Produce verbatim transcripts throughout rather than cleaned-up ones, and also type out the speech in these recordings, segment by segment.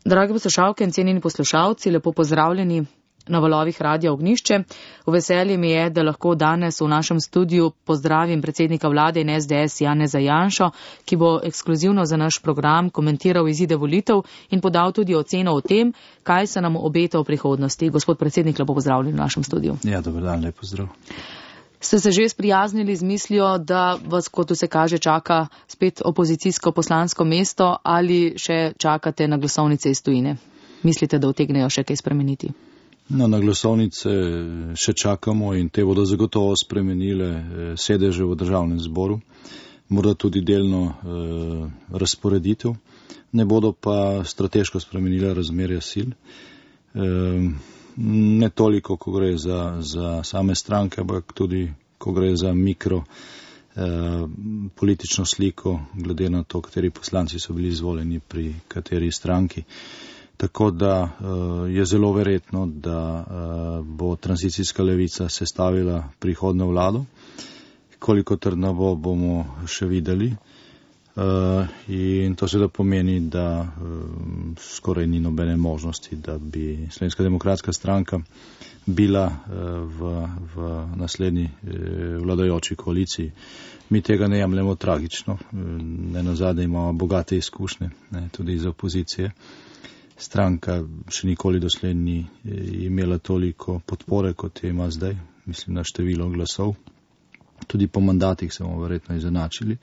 Dragi poslušalke in cenjeni poslušalci, lepo pozdravljeni na valovih Radia Ognjišče. V veselje mi je, da lahko danes v našem studiu pozdravim predsednika vlade in S D S Janeza Janšo, ki bo ekskluzivno za naš program komentiral izide volitev in podal tudi oceno o tem, kaj se nam obeta v prihodnosti. Gospod predsednik, lepo pozdravljeni v našem studiu. Ja, dober dan, lep pozdrav. Ste se že sprijaznili z mislijo, da vas, kot se kaže, čaka spet opozicijsko poslansko mesto ali še čakate na glasovnice iz tujine? Mislite, da utegnejo še kaj spremeniti? No, na glasovnice še čakamo in te bodo zagotovo spremenile sedeže v državnem zboru, morda tudi delno eh, razporeditev, ne bodo pa strateško spremenile razmerja sil. Eh, ne toliko, ko gre za, za same stranke, ampak tudi, ko gre za mikro eh, politično sliko, glede na to, kateri poslanci so bili izvoljeni pri kateri stranki. Tako da uh, je zelo verjetno, da uh, bo tranzicijska levica sestavila prihodno vlado. Koliko trdna bo, bomo še videli. Uh, in to seveda pomeni, da uh, skoraj ni nobene možnosti, da bi Slovenska demokratska stranka bila uh, v, v naslednji uh, vladajoči koaliciji. Mi tega ne jemljemo tragično. Ne nazadnje imamo bogate izkušnje, ne, tudi iz opozicije. Stranka še nikoli doslej ni imela toliko podpore, kot je ima zdaj, mislim na število glasov. Tudi po mandatih se bomo verjetno izenačili.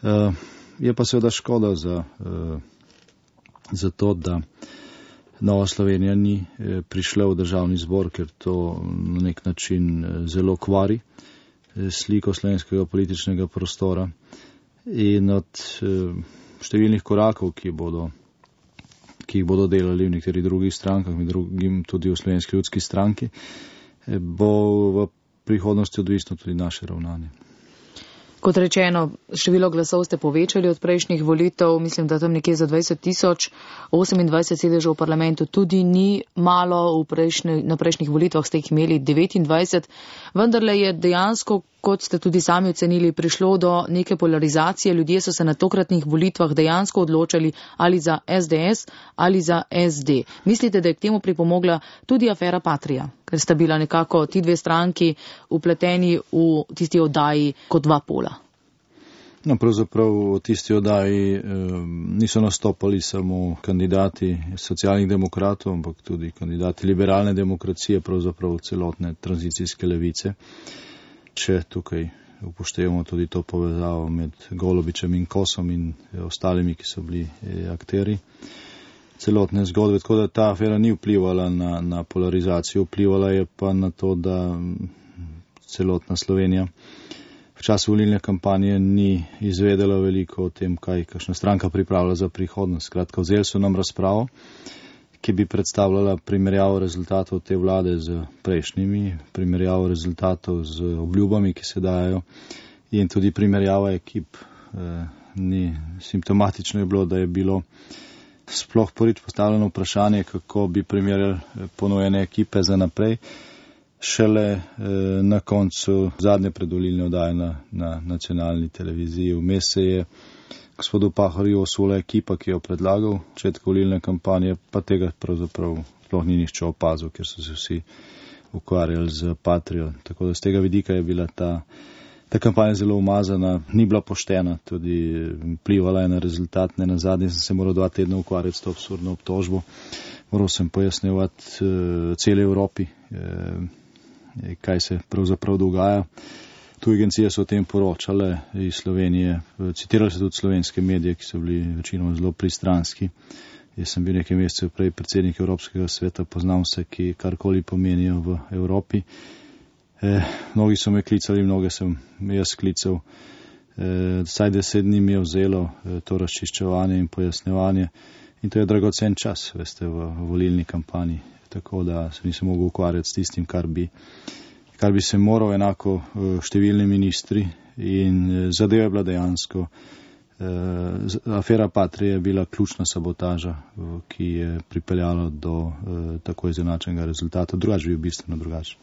Uh, je pa seveda škoda za, uh, za to, da Nova Slovenija ni uh, prišla v državni zbor, ker to na nek način uh, zelo kvari uh, sliko slovenskega političnega prostora. In od uh, številnih korakov, ki bodo ki jih bodo delali v nekaterih drugih strankah, med drugim tudi v Slovenski ljudski stranki, bo v prihodnosti odvisno tudi naše ravnanje. Kot rečeno, število glasov ste povečali od prejšnjih volitev, mislim, da tam nekje za dvajset tisoč, osemindvajset sedežev v parlamentu tudi ni malo, v prejšnji, na prejšnjih volitvah ste jih imeli devetindvajset, vendarle je dejansko, kot ste tudi sami ocenili, prišlo do neke polarizacije. Ljudje so se na tokratnih volitvah dejansko odločali ali za S D S ali za S D. Mislite, da je k temu pripomogla tudi afera Patria, ker sta bila nekako ti dve stranki upleteni v tisti oddaji kot dva pola? No, pravzaprav v tisti oddaji eh, niso nastopali samo kandidati socialnih demokratov, ampak tudi kandidati liberalne demokracije, pravzaprav celotne tranzicijske levice. Če tukaj upoštevamo tudi to povezavo med Golobičem in Kosom in ostalimi, ki so bili akteri celotne zgodbe. Tako da ta afera ni vplivala na, na polarizacijo, vplivala je pa na to, da celotna Slovenija v času volilne kampanje ni izvedela veliko o tem, kaj kakšna stranka pripravlja za prihodnost. Skratka, vzeli so nam razpravo, ki bi predstavljala primerjavo rezultatov te vlade z prejšnjimi, primerjavo rezultatov z obljubami, ki se dajo, in tudi primerjava ekip. E, ni simptomatično je bilo, da je bilo sploh prvič postavljeno vprašanje, kako bi primerjali ponujene ekipe za naprej, šele e, na koncu zadnje predvolilne oddaje na, na nacionalni televiziji. Vmes se je gospodu Pahorju osula ekipa, ki jo predlagal v začetku volilne kampanje, pa tega pravzaprav sploh ni nihče opazil, ker so se vsi ukvarjali z Patrio. Tako da z tega vidika je bila ta, ta kampanja zelo umazana, ni bila poštena, tudi vplivala je na rezultat. Ne nazadnje sem se moral dva tedna ukvarjati s to absurdno obtožbo. Moral sem pojasnjevati uh, celi Evropi, uh, kaj se pravzaprav dogaja. Tu agencije so o tem poročale iz Slovenije, citirali so tudi slovenske medije, ki so bili večinoma zelo pristranski. Jaz sem bil nekaj mesecev prej predsednik Evropskega sveta, poznam vse, ki karkoli pomenijo v Evropi. Eh, mnogi so me klicali, mnoge sem jaz klical. Eh, vsaj deset dni mi je vzelo eh, to razčiščevanje in pojasnjevanje. In to je dragocen čas, veste, v, v volilni kampanji. Tako da se nisem mogel ukvarjati s tistim, kar bi kar bi se moral, enako številni ministri, in zadeva je bila dejansko. Afera Patria je bila ključna sabotaža, ki je pripeljala do tako izenačenega rezultata, drugače bi bistveno drugače.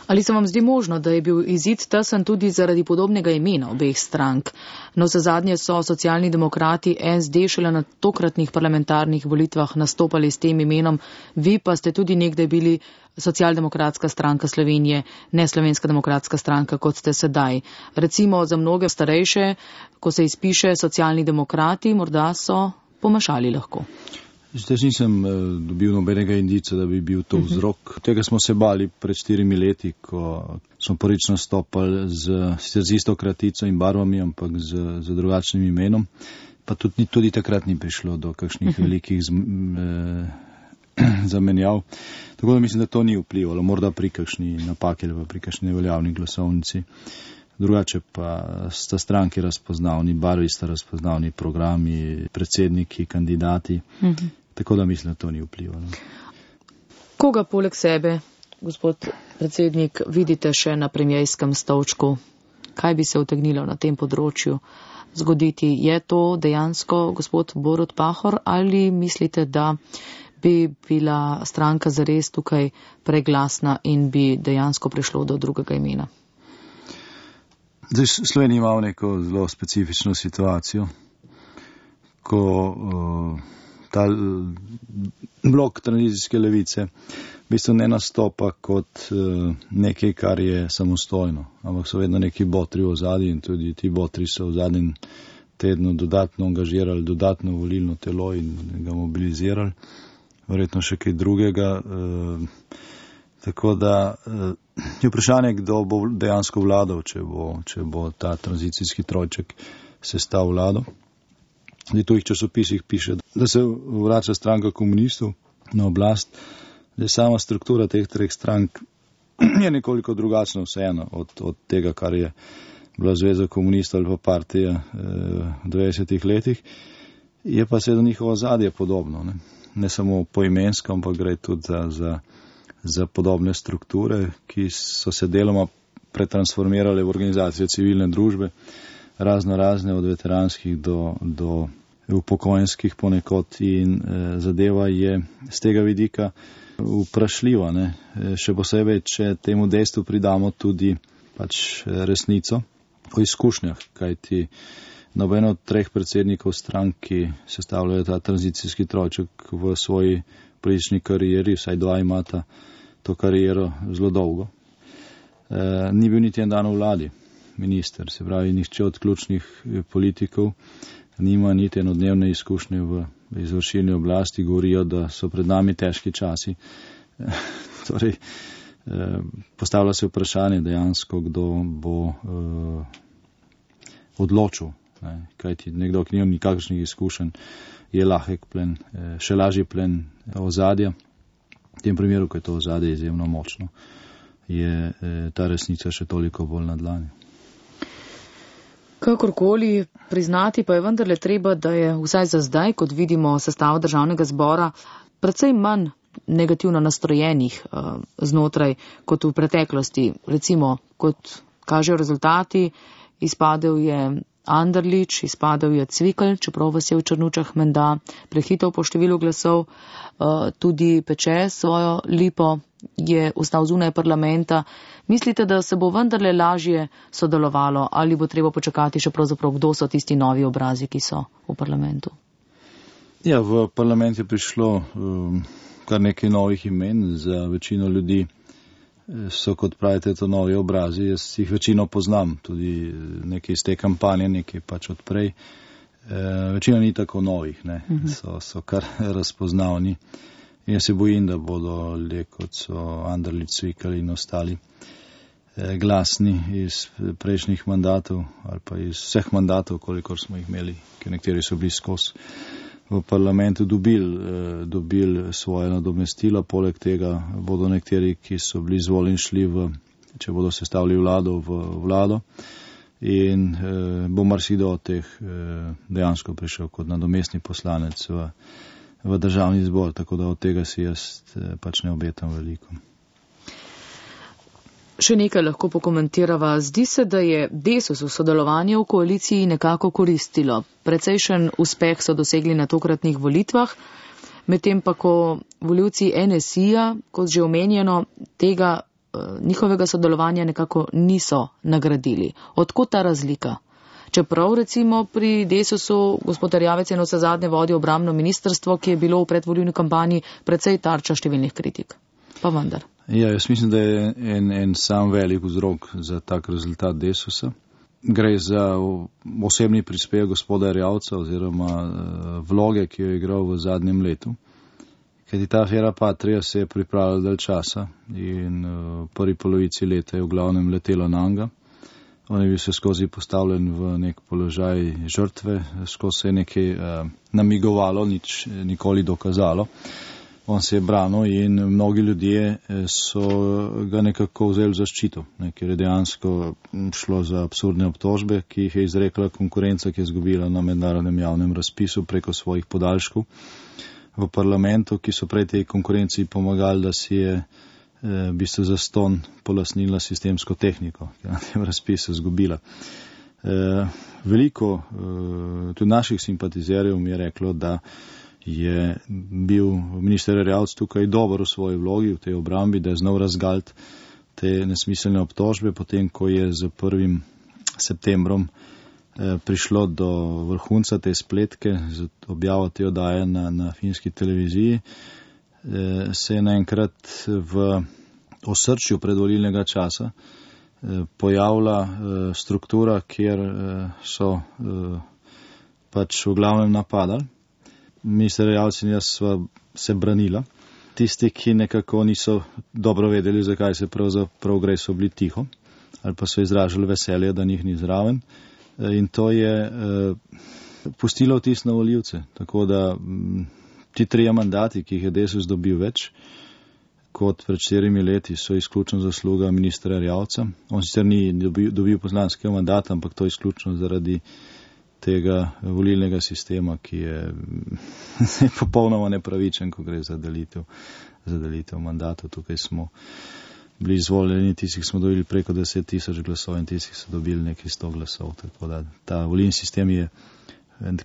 Ali se vam zdi možno, da je bil izid tesen tudi zaradi podobnega imena obeh strank? No, za zadnje so socialni demokrati S D šele na tokratnih parlamentarnih volitvah nastopali s tem imenom, vi pa ste tudi nekdaj bili Socialdemokratska stranka Slovenije, ne Slovenska demokratska stranka, kot ste sedaj. Recimo za mnoge starejše, ko se izpiše socialni demokrati, morda so pomešali lahko. Zdaj nisem dobil nobenega indica, da bi bil to vzrok. Tega smo se bali pred štirimi leti, ko smo prvič nastopali z, z isto kratico in barvami, ampak z, z drugačnim imenom. Pa tudi, tudi takrat ni prišlo do kakšnih uh-huh. velikih z, eh, zamenjav. Tako da mislim, da to ni vplivalo. Morda pri kakšni napaki ali pri kakšni neveljavni glasovnici. Drugače pa sta stranki razpoznavni, barvi sta razpoznavni, programi, predsedniki, kandidati. Uh-huh. Tako da mislim, da to ni vplivalo. Koga poleg sebe, gospod predsednik, vidite še na premijejskem stolčku? Kaj bi se utegnilo na tem področju zgoditi? Je to dejansko gospod Borut Pahor ali mislite, da bi bila stranka zares tukaj preglasna in bi dejansko prišlo do drugega imena? Zdaj, Slovenija ima neko zelo specifično situacijo, ko uh, ta blok tranzicijske levice v bistvu ne nastopa kot uh, nekaj, kar je samostojno, ampak so vedno neki botri v ozadju in tudi ti botri so v zadnjem tednu dodatno angažirali dodatno volilno telo in ga mobilizirali, verjetno še kaj drugega. Uh, tako da uh, je vprašanje, kdo bo dejansko vladal, če bo, če bo ta tranzicijski trojček sestav vlado. V tujih časopisih piše, da se vrača stranka komunistov na oblast. Zdaj, sama struktura teh treh strank je nekoliko drugačna vseeno od, od tega, kar je bila Zveza komunistov ali pa partija eh, v devetdesetih letih. Je pa seveda njihovo ozadje podobno. Ne, ne samo poimensko, ampak gre tudi za, za, za podobne strukture, ki so se deloma pretransformirale v organizacije civilne družbe, razno razne od veteranskih do, do upokojenskih ponekod in eh, zadeva je z tega vidika vprašljiva. Ne? Še posebej, če temu dejstvu pridamo tudi pač resnico o izkušnjah, kajti noben od treh predsednikov strank, ki sestavljajo ta tranzicijski trojček v svoji politični karieri, vsaj dva imata to kariero zelo dolgo, e, ni bil niti en dan v vladi minister, se pravi, nihče od ključnih politikov nima niti enodnevne izkušnje v izvršilni oblasti, govorijo, da so pred nami težki časi. Torej, postavlja se vprašanje dejansko, kdo bo odločil, kajti nekdo, ki nima nikakršnih izkušenj, je lahek plen, še lažji plen ozadja. V tem primeru, ko je to ozadje izjemno močno, je ta resnica še toliko bolj na dlani. Kakorkoli priznati pa je vendarle treba, da je vsaj za zdaj, kot vidimo sestava državnega zbora, precej manj negativno nastrojenih uh, znotraj kot v preteklosti. Recimo, kot kažejo rezultati, izpadel je Anderlič, izpadel je Cvikl, čeprav vas je v Črnučah menda prehitev po številu glasov, uh, tudi Peče svojo lipo je ostal zunaj parlamenta. Mislite, da se bo vendarle lažje sodelovalo ali bo treba počakati še pravzaprav, kdo so tisti novi obrazi, ki so v parlamentu? Ja, v parlament je prišlo um, kar nekaj novih imen. Za večino ljudi so, kot pravite, to novi obrazi. Jaz jih večino poznam, tudi nekaj iz te kampanje, nekaj pač odprej. E, večina ni tako novih, ne. So, so kar razpoznavni. In jaz se bojim, da bodo ljudje, kot so Anderlič, Cvikl in ostali, eh, glasni iz prejšnjih mandatov ali pa iz vseh mandatov, kolikor smo jih imeli, ker nekateri so bili skozi v parlamentu, dobili, eh, dobili svoje nadomestilo. Poleg tega bodo nekateri, ki so bili izvoljeni, šli v, če bodo sestavili vlado, v vlado. In eh, bo marsikdo od teh eh, dejansko prišel kot nadomestni poslanec v v državni zbor, tako da od tega si jaz pač ne obetam veliko. Še nekaj lahko pokomentirava. Zdi se, da je Desus v sodelovanje v koaliciji nekako koristilo. Precejšen uspeh so dosegli na tokratnih volitvah, medtem pa ko volivci N S I-ja, kot že omenjeno, tega njihovega sodelovanja nekako niso nagradili. Odkot ta razlika? Čeprav recimo pri Desusu gospod Erjavec je na vse zadnje vodil obrambno ministrstvo, ki je bilo v predvolilni kampanji precej tarča številnih kritik. Pa vendar. Ja, jaz mislim, da je en, en sam velik vzrok za tak rezultat Desusa. Gre za osebni prispevek gospoda Erjavca oziroma vloge, ki jo je igral v zadnjem letu. Kajti ta afera Patria se je pripravila dalj časa in v prvi polovici leta je v glavnem letelo nanga. On je bil se skozi postavljen v nek položaj žrtve, skozi se je nekaj uh, namigovalo, nič nikoli dokazalo. On se je branil in mnogi ljudje so ga nekako vzeli v zaščito, ne, ker je dejansko šlo za absurdne obtožbe, ki jih je izrekla konkurenca, ki je izgubila na mednarodnem javnem razpisu preko svojih podaljškov v parlamentu, ki so prej tej konkurenciji pomagali, da si je v bistvu zaston polasnila sistemsko tehniko, ki je na tem razpisu izgubila. Veliko tudi naših simpatizerjev mi je reklo, da je bil minister Erjavec tukaj dober v svoji vlogi, v tej obrambi, da je znal razgaliti te nesmiselne obtožbe, potem ko je z prvim septembrom prišlo do vrhunca te spletke, z objavo te oddaje na, na finski televiziji, se je naenkrat v osrčju predvolilnega časa pojavila struktura, kjer so pač v glavnem napadali. Minister Erjavec in jaz sva se branila. Tisti, ki nekako niso dobro vedeli, zakaj se pravzaprav gre, so bili tiho ali pa so izražali veselje, da njih ni zraven. In to je eh, pustilo vtis na volivce. Tako da m, ti trije mandati, ki jih je Desus dobil več kot pred štirimi leti, so izključno zasluga ministra Erjavca. On sicer ni dobil, dobil poslanskega mandata, ampak to je izključno zaradi tega volilnega sistema, ki je popolnoma nepravičen, ko gre za delitev, za delitev mandatov. Tukaj smo bili izvoljeni, tisti, ki smo dobili preko deset tisoč glasov in tisti, ki so dobili nekaj sto glasov. Tako da ta volilni sistem je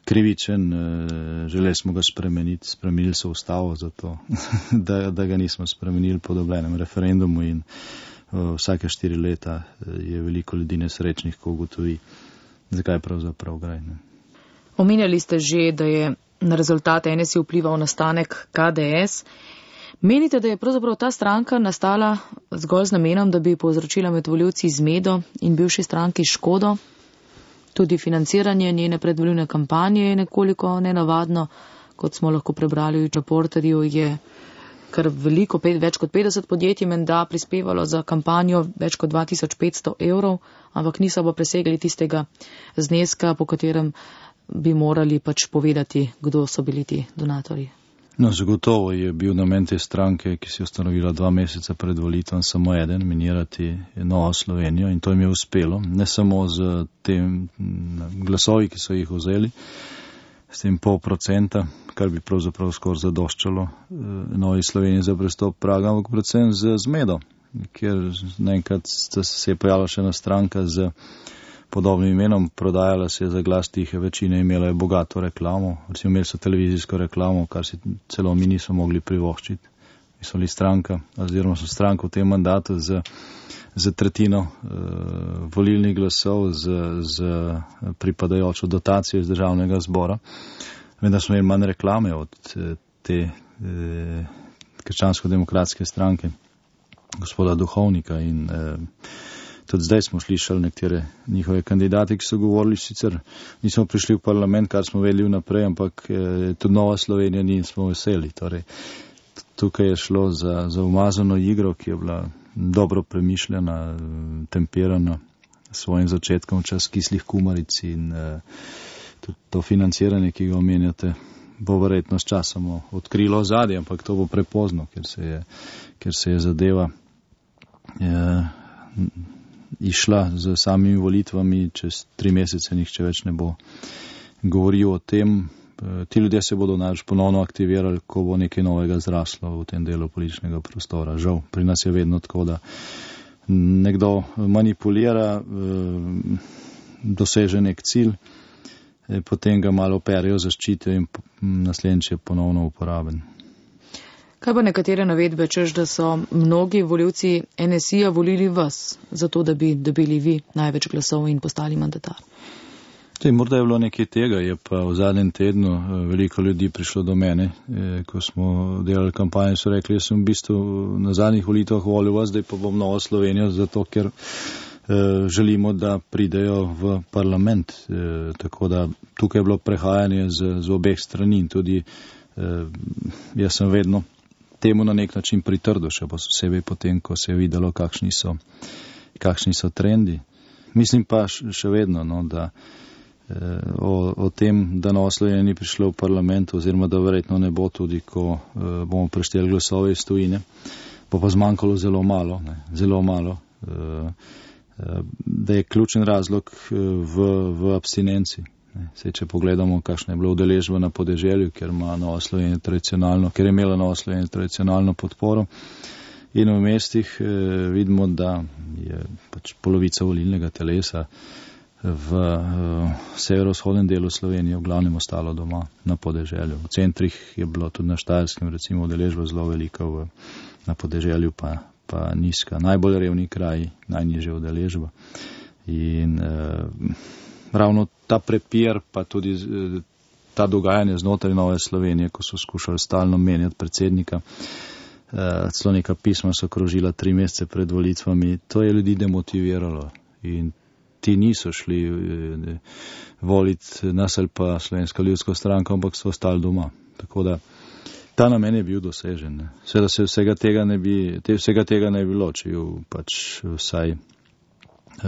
krivičen, želeli smo ga spremeniti, spremenili so ustavo zato, da, da ga nismo spremenili po dobljenem referendumu in vsake štiri leta je veliko ljudi nesrečnih, ko ugotovi, zakaj pravzaprav gre. Ne? Omenjali ste že, da je na rezultate N S I vplival nastanek K D S. Menite, da je pravzaprav ta stranka nastala zgolj z namenom, da bi povzročila med volivci zmedo in bivši stranki škodo? Tudi financiranje njene predvolilne kampanje je nekoliko nenavadno, kot smo lahko prebrali v Reporterju, je kar veliko, pet, več kot petdeset podjetij menda prispevalo za kampanjo več kot dva tisoč petsto evrov, ampak niso pa presegli tistega zneska, po katerem bi morali pač povedati, kdo so bili ti donatorji. No, zagotovo je bil namen te stranke, ki si je ustanovila dva meseca pred volitvam, samo eden, minirati Novo Slovenijo in to jim je uspelo. Ne samo z tem glasovi, ki so jih vzeli, s tem pol procenta, kar bi pravzaprav skoraj zadoščalo Novi Sloveniji za prestop praga, ampak predvsem z zmedo, kjer naenkrat se je pojavila še ena stranka z podobnim imenom, prodajala se je za glas tihe večine, imela je bogato reklamo, recimo imeli so televizijsko reklamo, kar si celo mi niso mogli privoščiti. Mi so bili stranka, oziroma so stranka v tem mandatu z, z tretjino uh, volilnih glasov, z, z pripadajočo dotacijo iz državnega zbora. Vendar smo imeli manj reklame od te eh, krščansko-demokratske stranke, gospoda Duhovnika in eh, tudi zdaj smo slišali nekatere njihove kandidate, ki so govorili, sicer nismo prišli v parlament, kar smo vedeli vnaprej, ampak eh, tudi Nova Slovenija ni in smo veseli. Torej, tukaj je šlo za, za umazano igro, ki je bila dobro premišljena, temperana s svojim začetkom v čas kislih kumaric in eh, tudi to financiranje, ki ga omenjate, bo verjetno s časom odkrilo ozadje, ampak to bo prepozno, ker se je, ker se je zadeva eh, išla z samimi volitvami, čez tri mesece nihče več ne bo govoril o tem. Ti ljudje se bodo najbolj ponovno aktivirali, ko bo nekaj novega zraslo v tem delu političnega prostora. Žal, pri nas je vedno tako, da nekdo manipulira, doseže nek cilj, potem ga malo operijo, zaščitijo in naslednjič je ponovno uporaben. Kaj pa nekatere navedbe, češ, da so mnogi volivci N S I-ja volili vas, zato da bi dobili vi največ glasov in postali mandatar? Tej, morda je bilo nekaj tega, je pa v zadnjem tednu veliko ljudi prišlo do mene, ko smo delali kampanjo, so rekli, jaz sem v bistvu na zadnjih volitvah volil vas, zdaj pa bom Novo Slovenijo, zato ker želimo, da pridejo v parlament. Tako da tukaj je bilo prehajanje z, z obeh strani in tudi jaz sem vedno temu na nek način pritrdil, še posebej potem, ko se je videlo, kakšni so, kakšni so trendi. Mislim pa še vedno, no, da O, o tem, da Nova Slovenija ni prišla v parlament, oziroma da verjetno ne bo tudi, ko uh, bomo prešteli glasove iz tujine, bo pa zmanjkalo zelo malo, ne, zelo malo, uh, uh, da je ključen razlog uh, v, v abstinenci. Ne. Sej, če pogledamo, kakšna je bila udeležba na podeželju, ker ima Nova Slovenija tradicionalno, ker je imela Nova Slovenija tradicionalno podporo, in v mestih uh, vidimo, da je pač polovica volilnega telesa v uh, severovzhodnem delu Slovenije v glavnem ostalo doma na podeželju. V centrih je bilo tudi na Štajerskem recimo udeležba zelo velika, v, na podeželju pa, pa nizka. Najbolj revni kraji, najnižja udeležba. In uh, ravno ta prepir, pa tudi uh, ta dogajanje znotraj Nove Slovenije, ko so skušali stalno menjati predsednika, uh, celo neka pisma so krožila tri mesece pred volitvami, to je ljudi demotiviralo. In ti niso šli eh, voliti nas ali pa Slovenska ljudska stranka, ampak so ostali doma. Tako da ta namen je bil dosežen. Ne. Seveda se vsega tega ne bi, te, vsega tega ne bi bilo, če je pač vsaj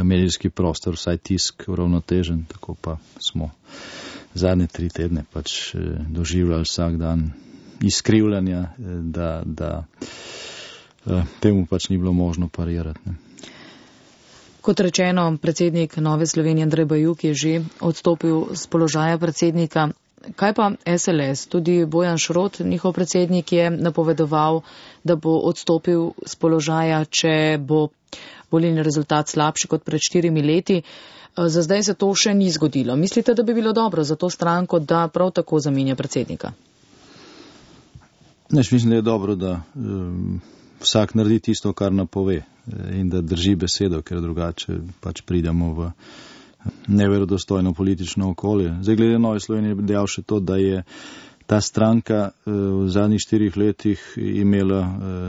medijski prostor, vsaj tisk uravnotežen, tako pa smo zadnje tri tedne pač eh, doživljali vsak dan izkrivljanja, eh, da, da eh, temu pač ni bilo možno parirati. Ne. Kot rečeno, predsednik Nove Slovenije Andrej Bajuk je že odstopil z položaja predsednika. Kaj pa S L S? Tudi Bojan Šrot, njihov predsednik, je napovedoval, da bo odstopil z položaja, če bo volilni rezultat slabši kot pred štirimi leti. Za zdaj se to še ni zgodilo. Mislite, da bi bilo dobro za to stranko, da prav tako zamenja predsednika? Neš, mislim, da je dobro, da um, vsak naredi tisto, kar napove, in da drži besedo, ker drugače pač pridemo v neverodostojno politično okolje. Zdaj, glede Nove Slovenije, bi dejal še to, da je ta stranka v zadnjih štirih letih imela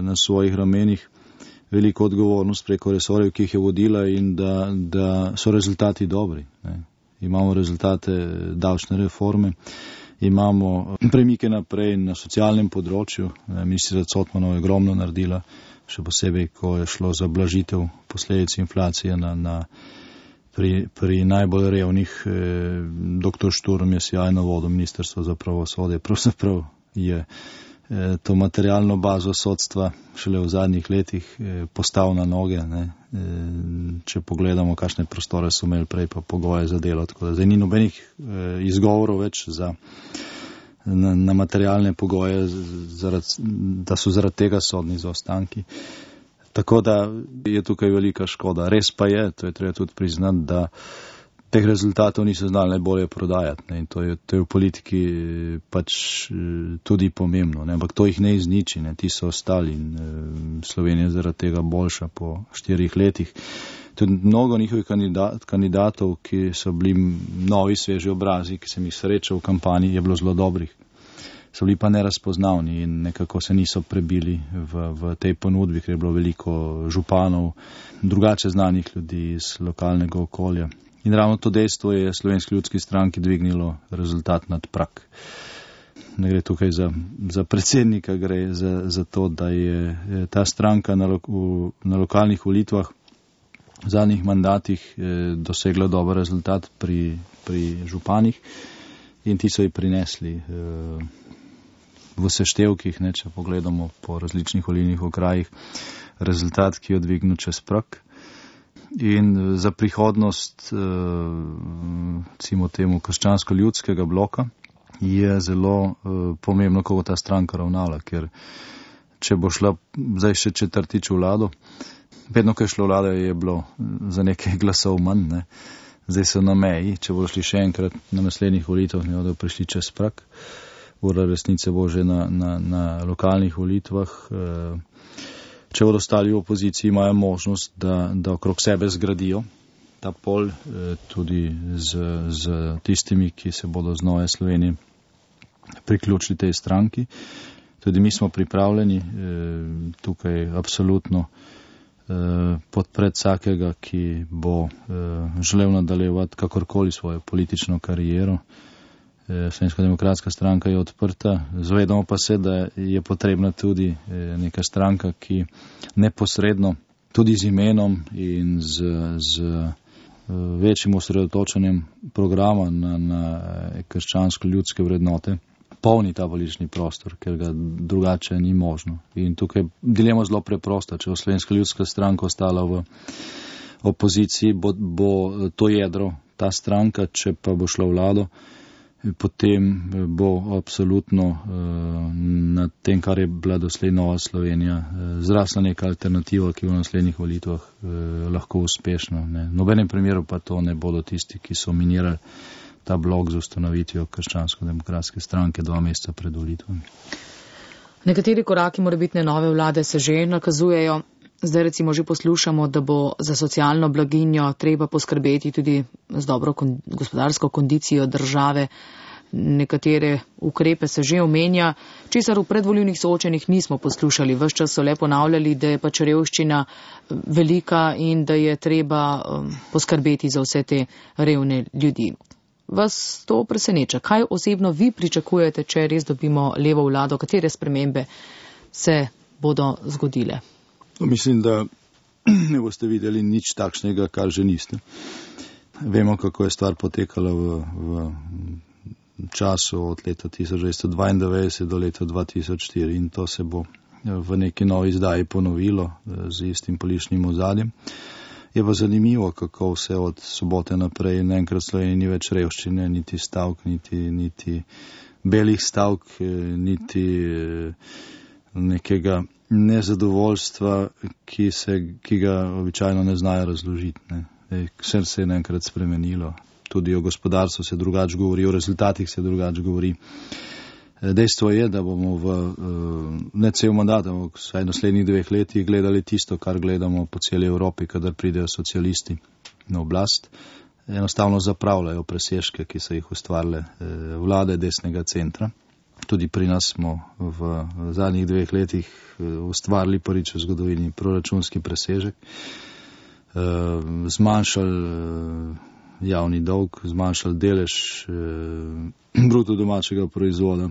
na svojih ramenih veliko odgovornost preko resorjev, ki jih je vodila, in da, da so rezultati dobri. Ne. Imamo rezultate davčne reforme, imamo premike naprej na socialnem področju. Ministrica Cotmanova je ogromno naredila, še posebej, ko je šlo za blažitev posledic inflacije na, na, pri, pri najbolj revnih. Eh, doktor Šturm je sjajno vodil Ministrstvo za pravosodje. Pravzaprav je eh, to materialno bazo sodstva šele v zadnjih letih eh, postavil na noge. Ne. Eh, če pogledamo, kakšne prostore so imeli prej, pa pogoje za delo. Tako da zdaj ni nobenih eh, izgovorov več za Na, na materialne pogoje, zaradi, da so zaradi tega sodni zaostanki. Tako da je tukaj velika škoda. Res pa je, to je treba tudi priznati, da teh rezultatov niso znali najbolje prodajati. Ne? In to je, to je v politiki pač tudi pomembno. Ne? Ampak to jih ne izniči, ne? Ti so ostali in e, Slovenija je zaradi tega boljša po štirih letih. Tudi mnogo njihovih kandidat, kandidatov, ki so bili novi, sveži obrazi, ki sem jih srečal v kampanji, je bilo zelo dobrih. So bili pa nerazpoznavni in nekako se niso prebili v, v tej ponudbi, ker je bilo veliko županov, drugače znanih ljudi iz lokalnega okolja. In ravno to dejstvo je Slovenski ljudski stranki dvignilo rezultat nad prak. Ne gre tukaj za, za predsednika, gre za, za to, da je ta stranka na, lo, v, na lokalnih volitvah v zadnjih mandatih eh, dosegla dober rezultat pri, pri županih in ti so ji prinesli eh, v seštevkih, ne, če pogledamo po različnih volilnih okrajih, rezultat, ki je dvignil čez prak. In za prihodnost eh, recimo temu krščansko-ljudskega bloka je zelo eh, pomembno, kako ta stranka ravnala, ker če bo šla zdaj še četrtič v vlado, vedno, ko je šlo vlada, je bilo za nekaj glasov manj, ne. Zdaj so na meji, če bodo šli še enkrat na naslednjih volitev, ne bodo prišli čez prak. ura resnice bo že na, na, na lokalnih volitvah. Če bodo ostali v opoziciji, imajo možnost, da, da okrog sebe zgradijo ta pol, tudi z, z tistimi, ki se bodo z Nove Slovenije priključili tej stranki. Tudi mi smo pripravljeni tukaj absolutno podpreti vsakega, ki bo želel nadaljevati kakorkoli svojo politično kariero. Slovenska demokratska stranka je odprta. Zavedamo pa se, da je potrebna tudi neka stranka, ki neposredno tudi z imenom in z, z večjim osredotočenjem programa na, na krščansko-ljudske vrednote polni ta politični prostor, ker ga drugače ni možno. In tukaj dilema zelo preprosta. Če bo Slovenska ljudska stranka ostala v opoziciji, bo, bo to jedro ta stranka, če pa bo šla vlado, potem bo absolutno na tem, kar je bila doslej Nova Slovenija, zrasla neka alternativa, ki v naslednjih volitvah lahko uspešna. Ne. V nobenem primeru pa to ne bodo tisti, ki so minirali ta blok z ustanovitvijo krščansko-demokratske stranke dva meseca pred volitvami. Nekateri koraki morebitne nove vlade se že nakazujejo. Zdaj recimo že poslušamo, da bo za socialno blaginjo treba poskrbeti tudi z dobro kon- gospodarsko kondicijo države. Nekatere ukrepe se že omenja, česar v predvolilnih soočenjih nismo poslušali. Ves čas so le ponavljali, da je pač revščina velika in da je treba um, poskrbeti za vse te revne ljudi. Vas to preseneča? Kaj osebno vi pričakujete, če res dobimo levo vlado? Katere spremembe se bodo zgodile? Mislim, da ne boste videli nič takšnega, kar že niste. Vemo, kako je stvar potekala v, v času od leta tisoč devetsto dvaindevetdeset do leta dva tisoč štiri in to se bo v neki novi izdaji ponovilo z istim političnim ozadjem. Je pa zanimivo, kako vse od sobote naprej naenkrat Sloveniji ni več revščine, niti stavk, niti, niti belih stavk, niti nekega nezadovoljstva, ki, se, ki ga običajno ne znajo razložiti. Ne. Vse se je naenkrat spremenilo. Tudi o gospodarstvu se drugače govori, o rezultatih se drugače govori. Dejstvo je, da bomo v ne cel mandat, ampak vsaj naslednjih dveh letih gledali tisto, kar gledamo po celi Evropi, kadar pridejo socialisti na oblast. Enostavno zapravljajo presežke, ki so jih ustvarile vlade desnega centra. Tudi pri nas smo v zadnjih dveh letih ustvarili prvič v zgodovini proračunski presežek, zmanjšali javni dolg, zmanjšali delež bruto domačega proizvoda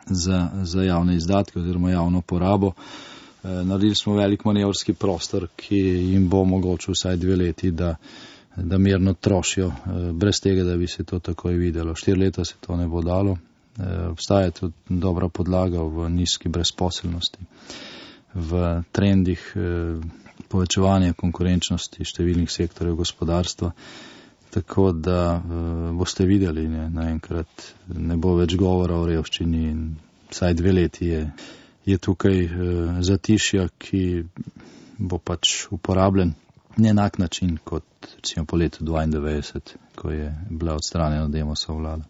za, za javne izdatke oziroma javno porabo. Naredili smo velik manevrski prostor, ki jim bo omogočil vsaj dve leti, da, da mirno trošijo, brez tega, da bi se to takoj videlo. Štiri leta se to ne bo dalo. Obstaja tudi dobra podlaga v nizki brezposelnosti, v trendih povečevanja konkurenčnosti številnih sektorjev gospodarstva. Tako da uh, boste videli, ne, naenkrat ne bo več govora o revščini in vsaj dve leti je, je tukaj uh, zatišja, ki bo pač uporabljen na enak način kot recimo po letu dvaindevetdeset, ko je bila odstranjena Demosova vlada.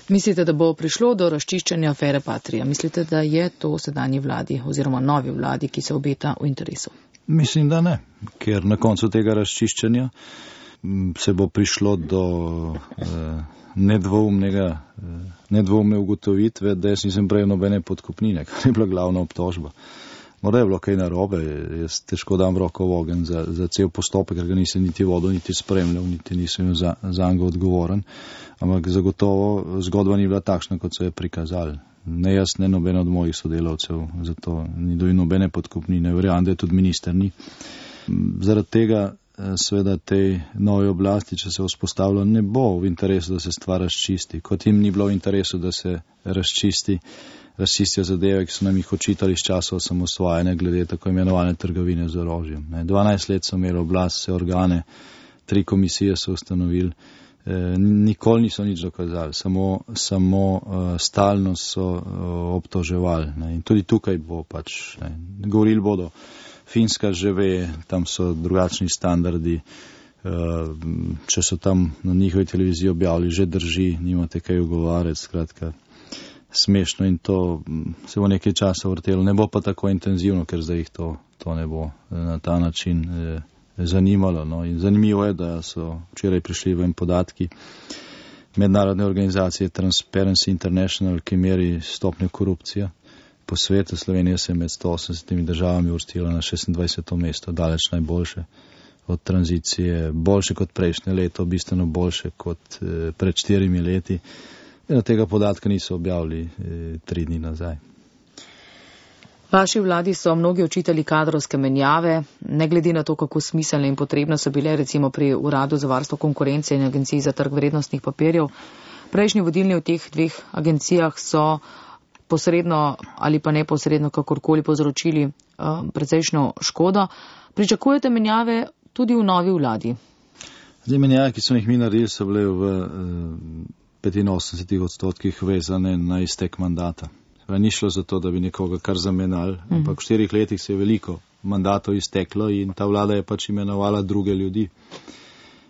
Mislite, da bo prišlo do razčiščenja afere Patria? Mislite, da je to sedanji vladi oziroma novi vladi, ki se obeta v interesu? Mislim, da ne, ker na koncu tega razčiščenja se bo prišlo do eh, nedvoumnega, eh, nedvoumne ugotovitve, da jaz nisem prejel nobene podkupnine, kar je bila glavna obtožba. Morda je bilo kaj narobe, jaz težko dam roko v ogenj za, za cel postopek, ker ga nisem niti vodil, niti spremljal, niti nisem za, za njega odgovoren, ampak zagotovo zgodba ni bila takšna, kot so je prikazali. Ne jaz, ne noben od mojih sodelavcev, zato ni dobil nobene podkupnine, verjamem, da je tudi minister ni. Zaradi tega seveda tej novi oblasti, če se vzpostavlja, ne bo v interesu, da se stvar razčisti. Kot jim ni bilo v interesu, da se razčisti, razčistijo zadeve, ki so nam jih očitali iz časa osamosvajanja glede tako imenovane trgovine z orožjem. dvanajst let so imeli oblast, vse organe, tri komisije so ustanovili, e, nikoli niso nič dokazali, samo, samo uh, stalno so uh, obtoževali. Ne. In tudi tukaj bo pač, ne, govorili bodo, Finska že ve, tam so drugačni standardi, če so tam na njihovi televiziji objavili, že drži, nimate kaj ugovarjati, skratka, smešno in to se bo nekaj časa vrtelo. Ne bo pa tako intenzivno, ker zdaj jih to, to ne bo na ta način eh, zanimalo. No. In zanimivo je, da so včeraj prišli ven podatki mednarodne organizacije Transparency International, ki meri stopnjo korupcije po svetu. Slovenija se je med sto osemdesetimi državami uvrstila na šestindvajseto mesto, daleč najboljše od tranzicije, boljše kot prejšnje leto, bistveno boljše kot eh, pred štirimi leti. In tega podatka niso objavili eh, tri dni nazaj. Vaši vladi so mnogi očitali kadrovske menjave, ne glede na to, kako smiselne in potrebne so bile recimo pri Uradu za varstvo konkurence in Agenciji za trg vrednostnih papirjev. Prejšnji vodilni v teh dveh agencijah so posredno ali pa neposredno kakorkoli povzročili uh, precejšnjo škodo. Pričakujete menjave tudi v novi vladi? Zdaj, menjave, ki so jih mi naredili, so bile v uh, petinosemdesetih odstotkih vezane na iztek mandata. Ni šlo za to, da bi nekoga kar zamenjali, mm. ampak v štirih letih se je veliko mandatov izteklo in ta vlada je pač imenovala druge ljudi.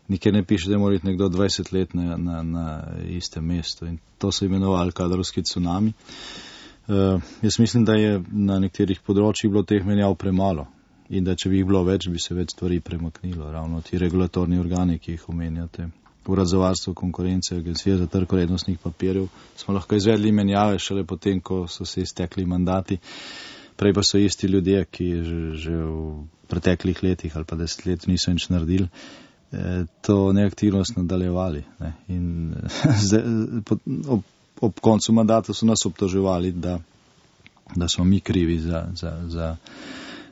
Nikjer ne piše, da mora biti nekdo dvajset let na, na, na istem mestu in to so imenovali kadrovski cunami. Uh, jaz mislim, da je na nekterih področjih bilo teh menjav premalo in da če bi jih bilo več, bi se več stvari premaknilo. Ravno ti regulatorni organi, ki jih omenjate, Urad za varstvo konkurence, Agencija za trg vrednostnih papirjev, smo lahko izvedli menjave šele potem, ko so se iztekli mandati. Prej pa so isti ljudje, ki že, že v preteklih letih ali pa deset let niso nič naredili, eh, to neaktivnost nadaljevali. Ne. In zdaj, ob, ob koncu mandata so nas obtoževali, da, da smo mi krivi za, za, za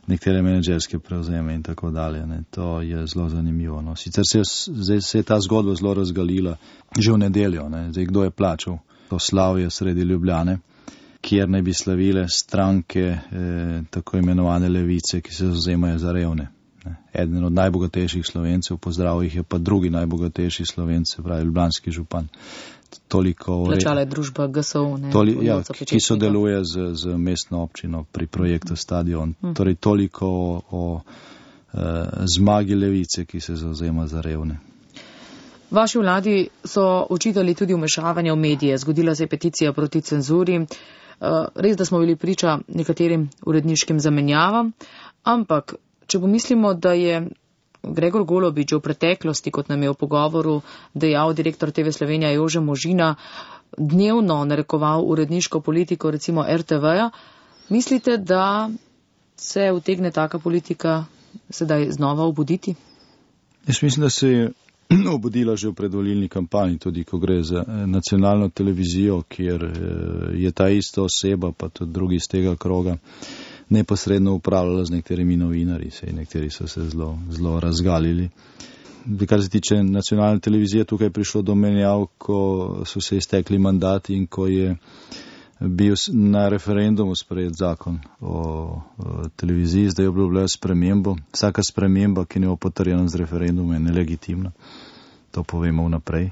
nekatere menedžerske prevzeme in tako dalje. Ne. To je zelo zanimivo. No. Sicer se je, zdaj se je ta zgodba zelo razgalila že v nedeljo. Ne. Zdaj, kdo je plačal to slavje sredi Ljubljane, kjer naj bi slavile stranke eh, tako imenovane levice, ki se zavzemajo za revne. Ne. Eden od najbogatejših Slovencev, pozdravil jih je pa drugi najbogatejši Slovenec, se pravi ljubljanski župan. Toliko plačala je družba G S O, ne, toli, ja, ki sodeluje z, z mestno občino pri projektu Stadion. Hmm. Torej toliko o, o e, zmagi levice, ki se zavzema za revne. Vaši vladi so očitali tudi vmešavanje v medije. Zgodila se je peticija proti cenzuri. Res, da smo bili priča nekaterim uredniškim zamenjavam, ampak če pomislimo, da je Gregor Golobič v preteklosti, kot nam je v pogovoru dejal direktor T V Slovenija Jože Možina, dnevno narekoval uredniško politiko recimo R T V-ja, mislite, da se utegne taka politika sedaj znova obuditi? Jaz mislim, da se je obudila že v predvolilni kampanji, tudi ko gre za nacionalno televizijo, kjer je ta ista oseba, pa tudi drugi iz tega kroga, neposredno upravljala z nekaterimi novinarji, sej nekateri so se zelo, zelo razgalili. Kar se tiče nacionalne televizije, tukaj je prišlo do menjav, ko so se iztekli mandati in ko je bil na referendumu sprejet zakon o, o televiziji, zdaj je obljubljala spremembo. Vsaka sprememba, ki ne bo potrjena z referendumom, je nelegitimna. To povemo vnaprej.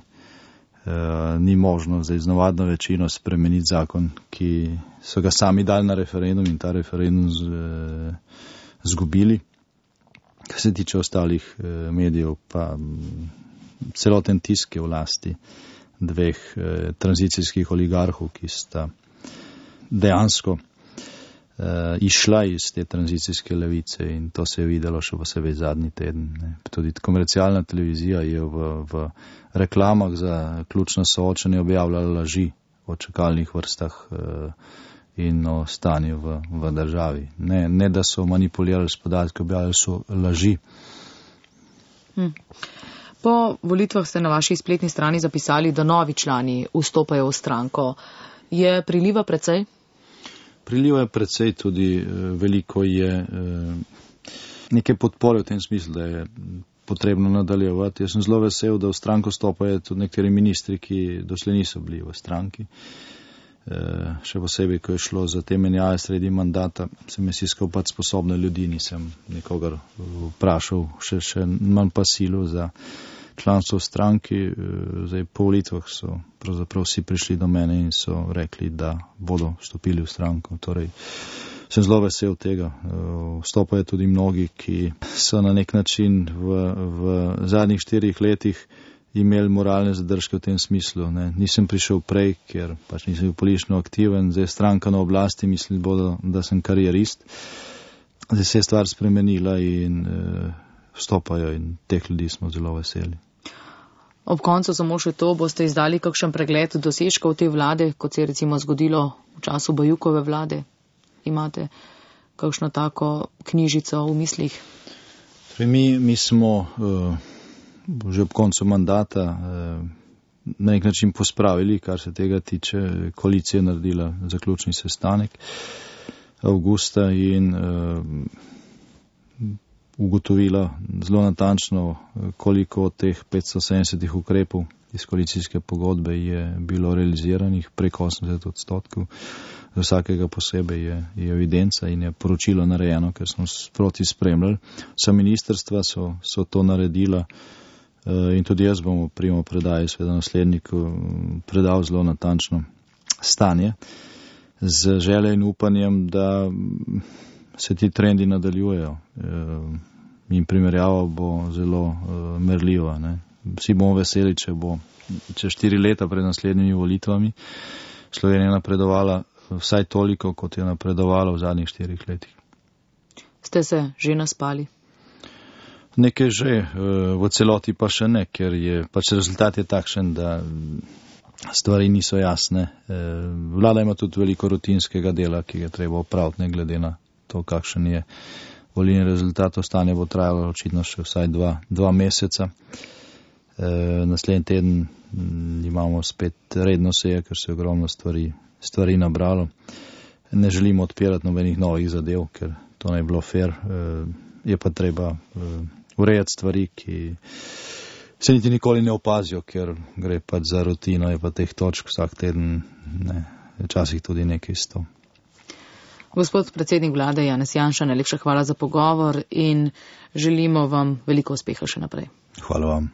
Uh, ni možno zdaj z navadno večino spremeniti zakon, ki so ga sami dali na referendum in ta referendum z, uh, zgubili. Kar se tiče ostalih uh, medijev, pa um, celoten tisk je v lasti dveh uh, tranzicijskih oligarhov, ki sta dejansko uh, išla iz te tranzicijske levice in to se je videlo še posebej zadnji teden. Ne. Tudi komercialna televizija je v, v reklamah za ključno soočenje objavljala laži o čakalnih vrstah uh, in o stanju v, v državi. Ne, ne, da so manipulirali s podatki, objavljali so laži. Hm. Po volitvah ste na vaši spletni strani zapisali, da novi člani vstopajo v stranko. Je priliva precej? Priliva je precej, tudi eh, veliko je eh, neke podpore v tem smislu, da je potrebno nadaljevati. Jaz sem zelo vesel, da v stranko stopajo tudi nekateri ministri, ki doslej niso bili v stranki. E, še posebej, ko je šlo za te menjave sredi mandata, sem jaz iskal pač sposobne ljudi, nisem nikogar vprašal, še, še manj pa silu za članstvo v stranki. E, zdaj po volitvah so pravzaprav vsi prišli do mene in so rekli, da bodo vstopili v stranko. Torej, sem zelo vesel tega. Vstopajo tudi mnogi, ki so na nek način v, v zadnjih štirih letih imeli moralne zadržke v tem smislu. Ne. Nisem prišel prej, ker pač nisem bil politično aktiven, zdaj stranka na oblasti, mislim, bodo, da sem karierist. Zdaj se je stvar spremenila in uh, vstopajo in teh ljudi smo zelo veseli. Ob koncu samo še to, boste izdali kakšen pregled dosežkov te vlade, kot se je recimo zgodilo v času Bajukove vlade? Imate kakšno tako knjižico v mislih? Mi, mi smo uh, že ob koncu mandata uh, na nek način pospravili, kar se tega tiče. Koalicija naredila zaključni sestanek avgusta in uh, ugotovila zelo natančno, koliko od teh petsto sedemdeset ukrepov iz koalicijske pogodbe je bilo realiziranih, preko osemdeset odstotkov. Za vsakega posebej je, je evidenca in je poročilo narejeno, ker smo sproti spremljali. Vsa ministrstva so, so to naredila in tudi jaz bom v primo predaji sveda nasledniku predal zelo natančno stanje z željo in upanjem, da se ti trendi nadaljujejo in primerjava bo zelo merljiva. Ne. Vsi bomo veseli, če bo čez štiri leta pred naslednjimi volitvami Slovenija napredovala vsaj toliko, kot je napredovala v zadnjih štirih letih. Ste se že naspali? Nekaj že, v celoti pa še ne, ker je pač rezultat je takšen, da stvari niso jasne. Vlada ima tudi veliko rutinskega dela, ki ga treba opraviti, ne glede na to, kakšen je volilni rezultat. Ostanje bo trajalo očitno še vsaj dva, dva meseca. E, naslednji teden imamo spet redno seje, ker se je ogromno stvari, stvari nabralo. Ne želimo odpirati nobenih novih zadev, ker to ne je bilo fair. E, je pa treba e, urejati stvari, ki se niti nikoli ne opazijo, ker gre pač za rutino, je pa teh točk vsak teden, ne, včasih tudi nekaj sto. Gospod predsednik vlade Janez Janša, najlepša hvala za pogovor in želimo vam veliko uspeha še naprej. Hvala vam.